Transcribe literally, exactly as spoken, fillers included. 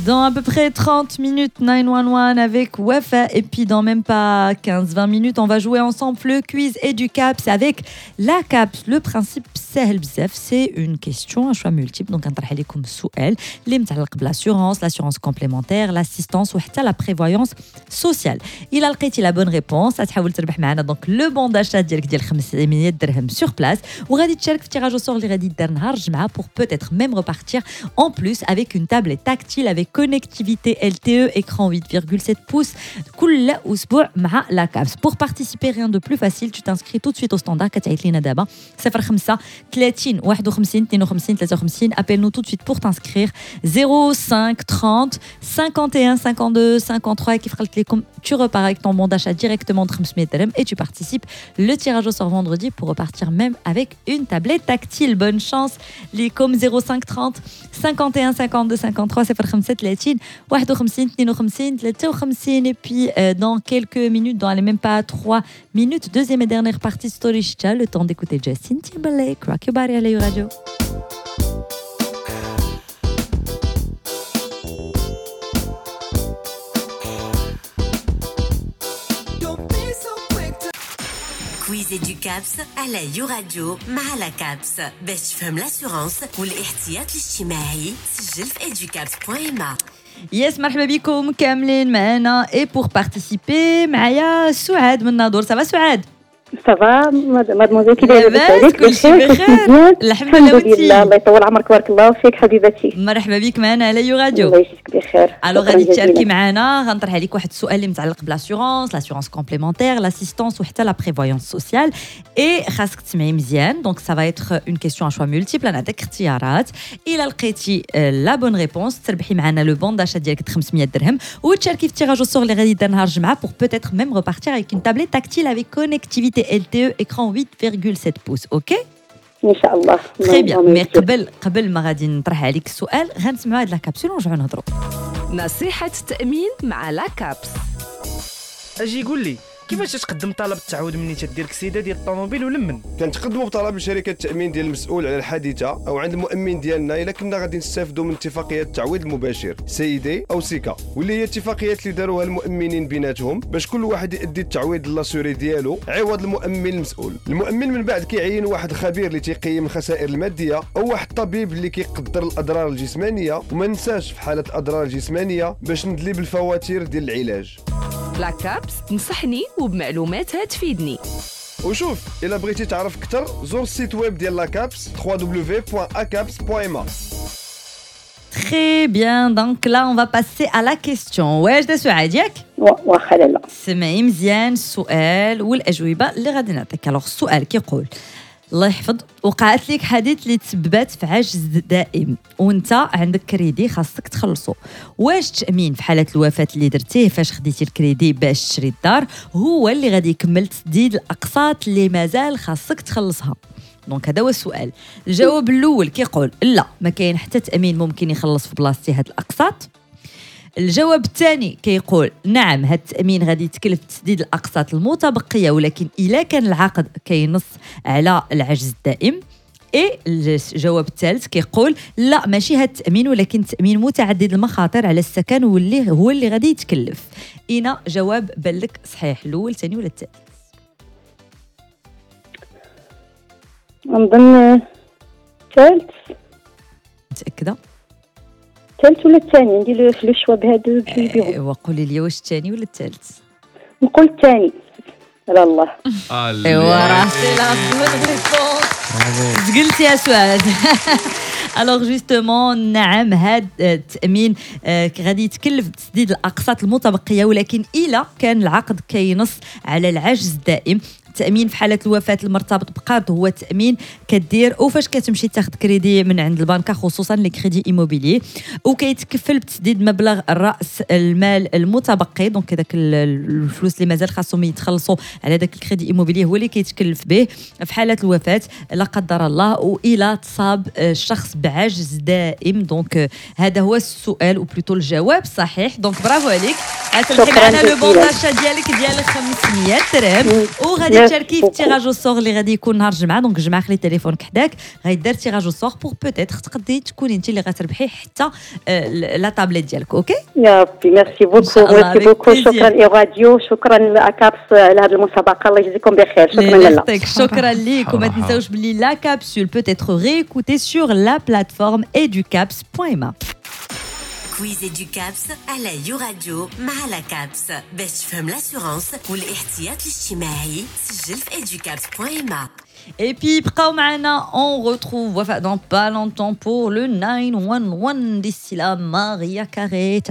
Dans à peu près trente minutes, neuf un un avec Wafa. Et puis dans même pas quinze vingt minutes, on va jouer ensemble le quiz Educaps avec la CAPS. Le principe سهل بزاف, c'est une question à choix multiple. Donc نطرح لكم سؤال اللي متعلق ب l'assurance, l'assurance complémentaire, l'assistance وحتى la prévoyance sociale. إلا لقيتي la bonne réponse غتحاول تربح معنا donc le bon d'achat ديالك ديال خمسمية درهم sur place وغادي تشارك في tirage au sort اللي غادي يدار نهار الجمعة pour peut-être même repartir en plus avec une tablette tactile avec connectivité L T E, écran huit virgule sept pouces كل أسبوع مع la CAPS. Pour participer, rien de plus facile, tu t'inscris tout de suite au standard كتعيط لينا دابا صفر خمسة ثلاثين واحد وخمسين اثنين وخمسين ثلاثة وخمسين. Appelle-nous tout de suite pour t'inscrire zéro cinq trente cinquante et un cinquante-deux cinquante-trois. كيف قلت لكم tu repars avec ton bon d'achat directement de خمسمية درهم et tu participes le tirage au sort vendredi pour repartir même avec une tablette tactile. Bonne chance لكم zéro cinq trente cinquante et un cinquante-deux cinquante-trois صفر خمسة ثلاثين واحد وخمسين اثنين وخمسين ثلاثة وخمسين. Et puis euh, dans quelques minutes, dans les même pas trois minutes, deuxième et dernière partie Story Chicha, le temps d'écouter Justin Timberlake, Rock Your Body à la Radio. Quiz Educaps على You Radio مع la CAPS باش تفهم l'assurance والاحتياط الاجتماعي. سجل في educaps point ma. Yes, مرحبا بكم كاملين معنا et pour participer معايا سعاد من ناظور. Ça va سعاد؟ Ça va mademoiselle, كي دايرة؟ لاباس؟ كلشي بخير الحمد لله. وانتي؟ الله يطول عمرك، بارك الله فيك حبيبتي. مرحبا بك معنا على You Radio. الله يجزيك بخير. Alors غادي تشاركي معنا، غنطرح عليك واحد السؤال اللي متعلق ب l'assurance, l'assurance complémentaire, l'assistance وحتى la prévoyance sociale et خاصك تسمعي مزيان. Donc ça va être une question à choix multiples, نعطيك اختيارات، الا لقيتي la bonne réponse تربحي معنا le bon d'achat ديالك خمسمية درهم وتشاركي في tirage au sort اللي غادي يدار نهار الجمعة pour peut-être même repartir avec une tablette tactile avec connectivité L T E écran huit virgule sept pouces. OK؟ إن شاء الله. Très bien. Mais قبل قبل ما غادي نطرح عليك السؤال غنسمعوا هاد la capsule ونرجعوا نهضروا. نصيحة التأمين مع la CAPS. اجي قول لي كيفاش تقدم طلب التعويض مني تدير كسيده ديال الطوموبيل ولا من؟ كنتقدموا بطلب لشركة التامين ديال المسؤول على الحادثة او عند المؤمن ديالنا الا كنا غادي نستافدوا من اتفاقية التعويض المباشر CID او SICA، واللي هي اتفاقيات اللي داروها المؤمنين بيناتهم باش كل واحد يؤدي التعويض l'assuré ديالو عوض المؤمن المسؤول. المؤمن من بعد كيعين واحد الخبير اللي تيقيم الخسائر المادية او واحد الطبيب اللي كيقدر الاضرار الجسمانية، وما ننساش في حاله الاضرار الجسمانية باش ندلي بالفواتير ديال العلاج. La CAPS تنصحني وبمعلوماتها تفيدني. وشوف الا بغيتي تعرف اكثر زور ال site web ديال la CAPS double-vé double-vé point acaps point ma. Très bien, donc là on va passer à la question. واجدة سعاد ياك؟ واخا لالا. سمعي مزيان السؤال والاجوبه اللي غادي نعطيك. Alors السؤال كيقول الله يحفظ، وقعت لك حادث اللي تسببات في عجز دائم وانت عندك كريدي خاصك تخلصو، واش التامين في حاله الوفاة اللي درتيه فاش خديتي الكريدي باش تشري الدار هو اللي غادي يكمل تسديد الاقساط اللي مازال خاصك تخلصها؟ Donc هذا هو السؤال. الجواب الاول كيقول لا، ما كاين حتى تامين ممكن يخلص في بلاصتي هاد الاقساط. الجواب الثاني كيقول نعم، هاد التأمين غادي يتكلف تسديد الأقساط المتبقية ولكن إلا كان العقد كينص على العجز الدائم. إي الجواب الثالث كيقول لا، ماشي هاد التأمين ولكن تأمين متعدد المخاطر على السكن واللي هو اللي غادي يتكلف. إينا جواب بالك صحيح، الأول الثاني ولا الثالث؟ نظن الثالث. متأكدة؟ الثالث ولا الثاني؟ ندير le choix بهادو بجوج بيهم. ايوا قولي لي واش الثاني ولا الثالث؟ نقول الثاني. على الله. ايوا راه c'est la bonne réponse. قلتي يا سعاد. Alors justement نعم، هاد التامين غادي يتكلف بتسديد الاقساط المتبقية ولكن الا كان العقد كينص على العجز الدائم. التأمين في حالة الوفاة المرتبط بقرض هو تأمين كدير وفاش كتمشي تاخذ كريدي من عند البنكة خصوصا les crédits immobiliers، وكيتكفل بتسديد مبلغ الرأس المال المتبقي. Donc هذاك الفلوس اللي مازال خاصهم يتخلصوا على داك ال crédit immobilier هو اللي كيتكلف به في حالة الوفاة لا قدر الله وإلى تصاب الشخص بعجز دائم. Donc هذا هو السؤال ou plutôt الجواب الصحيح. Donc bravo عليك، غتربحي شكراً معنا le bon جزيلاً. d'achat ديالك ديال خمسمية درهم وغادي Merci تشاركي في beaucoup. tirage au sort اللي غادي يكون نهار الجمعه. Donc الجمعة خلي تليفونك حداك، غيدار tirage au sort pour peut-être تقدري تكوني انت اللي غتربحي حتى آه، la tablette ديالك، OK؟ يا ربي، ميرسي beaucoup. شاء الله، merci avec beaucoup. plaisir. شكرا راديو، شكرا la CAPS على هذه المسابقه، الله يجزيكم بخير، شكرا الله لاله. يخطيك، شكرا ليك. وما صراحة. تنساوش بلي la capsule peut être réécoutée sur la plateforme educaps point ma. Quiz Educaps على You Radio مع la CAPS، باش تفهم l'assurance والاحتياط الاجتماعي سجل في educaps point ma. Et puis, بقاو معنا، on retrouve Wafa dans pas longtemps pour le neuf un un. D'ici là, Mariah Carey.